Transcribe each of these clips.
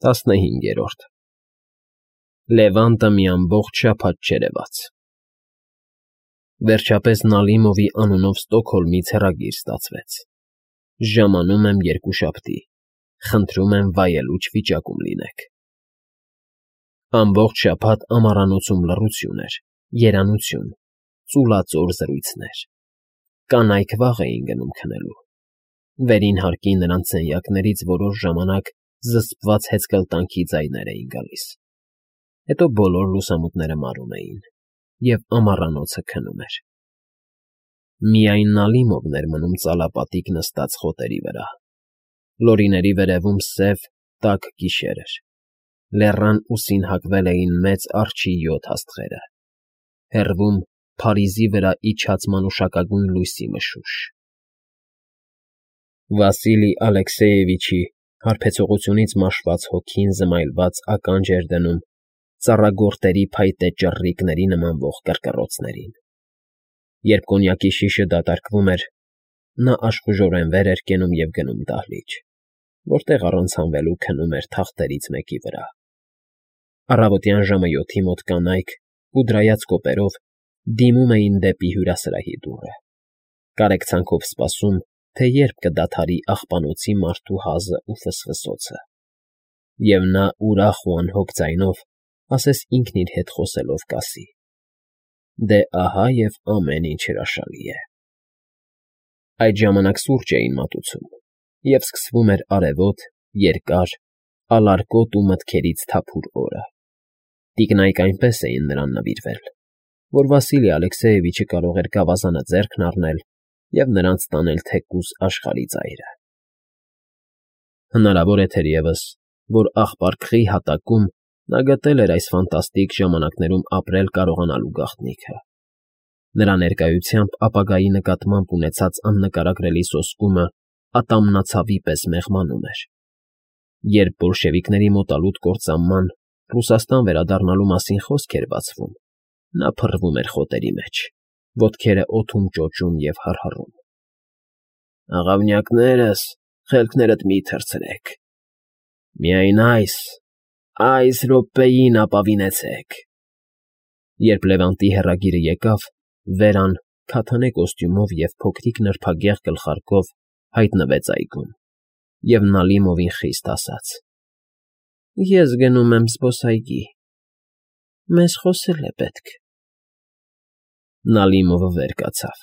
15 Լևանտը մի ամբողջ շաբաթ չերևաց։ Վերջապես Նալիմովի անունով Ստոկհոլմից հեռագիր ստացվեց. ժամանում եմ երկուշաբթի, խնդրում եմ վայելուչ վիճակում լինեք։ Ամբողջ շաբաթ ամառանոցում լռություն էր, երանություն, ծուլածոր զրույցներ։ Կանայք վաղ էին գնում քնելու։ Վերին հարկի նրանց սենյակներից որոշ ժամանակ զսպված հեծկլտանքի ձայներ էին գալիս։ Հետո բոլոր լուսամուտները մարում էին, և ամառանոցը քնում էր։ Միայն Նալիմովն էր մնում ծալապատիկ նստած խոտերի վրա։ Լորիների վերևում սև, տաք գիշեր էր։ Լեռան ուսին հագվել էին մեծ արջի 7 աստղերը։ Հեռվում Փարիզի վրա իջած մանուշակագույն լույսի մշուշ։ Վասիլի Ալեքսեևիչի հարբեցողությունից մաշված հոգին զմայլված ականջ էր դնում ծառագորտերի փայտե ճռռիկների նմանվող կռկռոցներին։ Երբ կոնյակի շիշը դատարկվում էր, նա աշխուժորեն վեր էր կենում և գնում դահլիճ, որտեղ առանց հանվելու քնում էր թախտերից մեկի վրա։ Առավոտյան ժամը 7-ի մոտ կանայք, կուդրայած կոպերով, դիմում էին դեպի հյուրասրահի դուռը, կարեկցանքով սպասում, թե երբ կդադարի աղբանոցի մարդու հազը ու ֆսֆսոցը, և նա ուրախ ու անհոգ ձայնով, ասես ինքն իր հետ խոսելով կասի. «Դե ահա և ամեն ինչ հրաշալի է»։ Այդ ժամանակ սուրճ էին մատուցում, և սկսվում էր արևոտ, երկար, ալարկոտ ու մտքերից թափուր օրը։ Տիկնայք այնպես էին նրան նվիրվել, որ Վասիլի Ալեքսեևիչը կարող էր գավազանը ձեռքն առնել և նրանց տանել թեկուզ աշխարհի ծայրը։ Հնարավոր է թերևս, որ աղբարկղի հատակում նա գտել էր այս ֆանտաստիկ ժամանակներում ապրել կարողանալու գաղտնիքը։ Նրա ներկայությամբ ապագայի նկատմամբ ունեցած աննկարագրելի սոսկումը ատամնացավի պես մեղմանում էր։ Երբ բոլշևիկների մոտալուտ կործանման, Ռուսաստան վերադառնալու մասին խոսք էր բացվում, նա փռվում էր խոտերի մեջ, ոտքերը օդում ճոճում և հռհռում։ «Աղավնյակներս, խելքներդ մի՛ թռցրեք, միայն այս րոպեին ապավինեցեք»։ Երբ Լևանտի հեռագիրը եկավ, Վերան քաթանե կոստյումով և փոքրիկ նրբագեղ գլխարկով հայտնվեց այգում և Նալիմովին խիստ ասաց. «Ես գնում եմ զբոսայգի, մեզ խոսել է պետք»։ Նալիմովը վեր կացավ,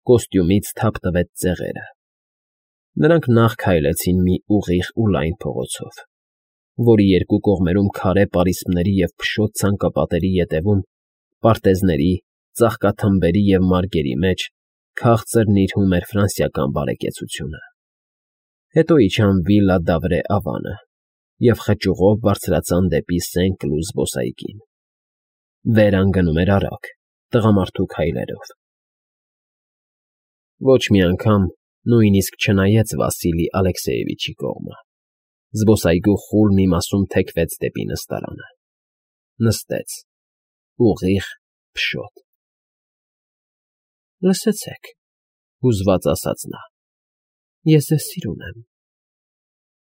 կոստյումից թափ տվեց ծեղերը։ Նրանք նախ քայլեցին մի ուղիղ ու լայն փողոցով, որի երկու կողմերում քարե պարիսպների և փշոտ ցանկապատերի ետևում, պարտեզների, ծաղկաթմբերի և մարգերի մեջ քաղցր նիրհում էր ֆրանսիական բարեկեցությունը։ Հետո իջան Վիլլա Դավրե ավանը և խճուղով բարձրացան դեպի Սեն֊Կլուզ զբոսայգին։ Վերան գնում էր արագ, տղամարդու քայլերով։ Ոչ մի անգամ նույնիսկ չնայեց Վասիլի Ալեքսեևիչի կողմը։ Զբոսայգու խուլ մի մասում թեքվեց դեպի նստարանը։ Նստեց, ուղիղ, փշոտ։ «Լսեցեք,֊ հուզված ասաց նա,֊ ես ձեզ սիրում եմ,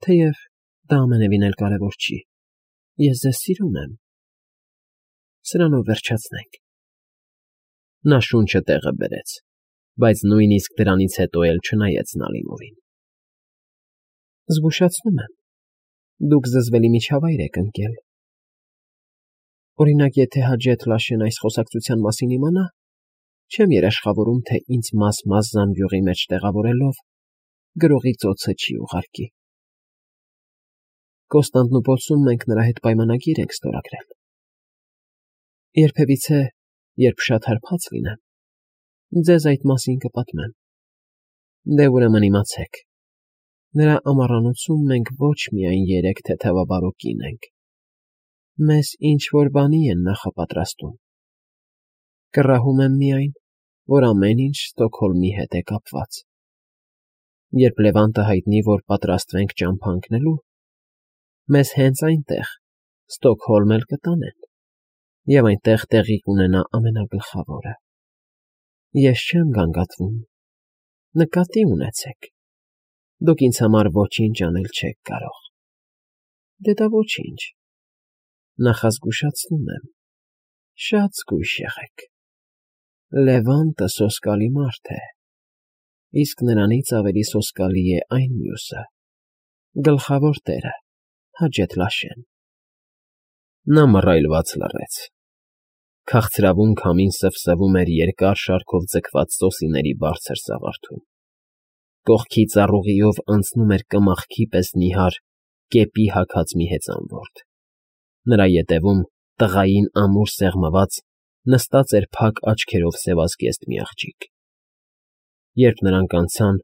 թեև դա ամենևին էլ կարևոր չի, ես ձեզ սիրում եմ։ Սրանով վերջացնենք»։ Նա շունչը տեղը բերեց, բայց նույնիսկ դրանից հետո էլ չնայեց Նալիմովին։ «Զգուշացնում եմ, դուք զզվելի միջավայր եք ընկել։ Օրինակ, եթե Հաջեթ Լաշեն այս խոսակցության մասին իմանա, չեմ երաշխավորում, թե ինձ մաս-մաս զամբյուղի մեջ տեղավորելով գրողի ծոցը չի ուղարկի։ Կոստանդնուպոլսում մենք նրա հետ պայմանագիր ենք ստորագրել։ Երբևիցե, երբ շատ հարբած լինեմ, ձեզ այդ մասին կպատմեմ։ Դե ուրեմն իմացեք, նրա ամառանոցում մենք ոչ միայն 3 թեթևաբարո կին ենք, մեզ ինչ֊որ բանի են նախապատրաստում։ Կռահում եմ միայն, որ ամեն ինչ Ստոկհոլմի հետ է կապված։ Երբ Լևանտը հայտնի, որ պատրաստվենք ճամփա ընկնելու, մեզ հենց այնտեղ, Ստոկհոլմ էլ կտանեն, և այնտեղ տեղի կունենա ամենագլխավորը։ Ես չեմ գանգատվում, նկատի ունեցեք, դուք ինձ համար ոչինչ անել չեք կարող։ Դե դա ոչինչ, նախազգուշացնում եմ, շատ զգույշ եղեք, Լևոնտը սոսկալի մարդ է, իսկ նրանից ավելի սոսկալի է այն մյուսը, գլխավոր տերը, Հաջեթլաշեն։ Նա մռայլված լռեց, քաղցրավուն քամին սվսվում էր երկար շարքով ձգված սոսիների բարձր սաղարթում, կողքի ծառուղիով անցնում էր կմախքի պես նիհար, կեպի հագած մի հեծանվորդ, նրա ետևում, տղային ամուր սեղմված, նստած էր փակ աչքերով սևազգեստ մի աղջիկ։ Երբ նրանք անցան,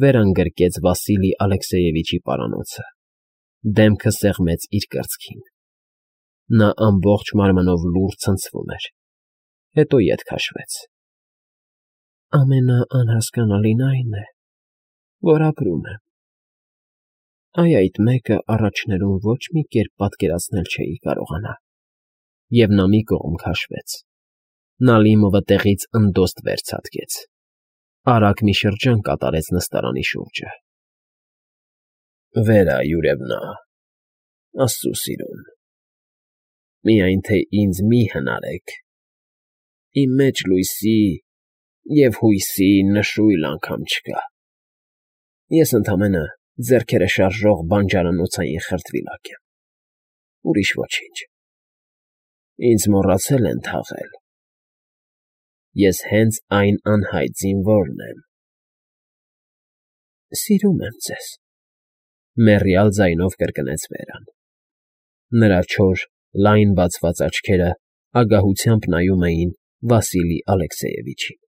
վեր ընկրկեց Վասիլի Ալեքսեևիչի պարանոցը, դեմքը սեղմեց իր կրծքին։ Նա ամբողջ մարմնով լուռ ցնցվում էր, հետո ետ քաշվեց։ Ամենաանհասկանալին այն է, որ ապրում եմ։ Այդ մեկը առաջներում ոչ մի կերպ պատկերացնել չէի կարողանա։ Եվ նա մի կողմ քաշվեց։ Նալիմովը տեղից ընդոստ վեր ցատկեց, արագ մի շրջան կատարեց նստարանի շուրջը։ Վերա, Յուրևնա, աստծու սիրուն, միայն թե ինձ մի հնարեք, իմ մեջ լույսի և հույսի նշույլ անգամ չկա։ Ես ընդամենը ձեռքերը շարժող բանջարանոցային խրտվիլակ եմ, ուրիշ ոչինչ։ Ինձ մոռացել են թաղել։ Ես հենց այն անհայտ զինվորն եմ։ Սիրում եմ ձեզ, մեռյալ ձայնով կրկնեց Վերան։ Նրա չոր, լայն բացված աչքերը ագահությամբ նայում էին Վասիլի Ալեքսեևիչին։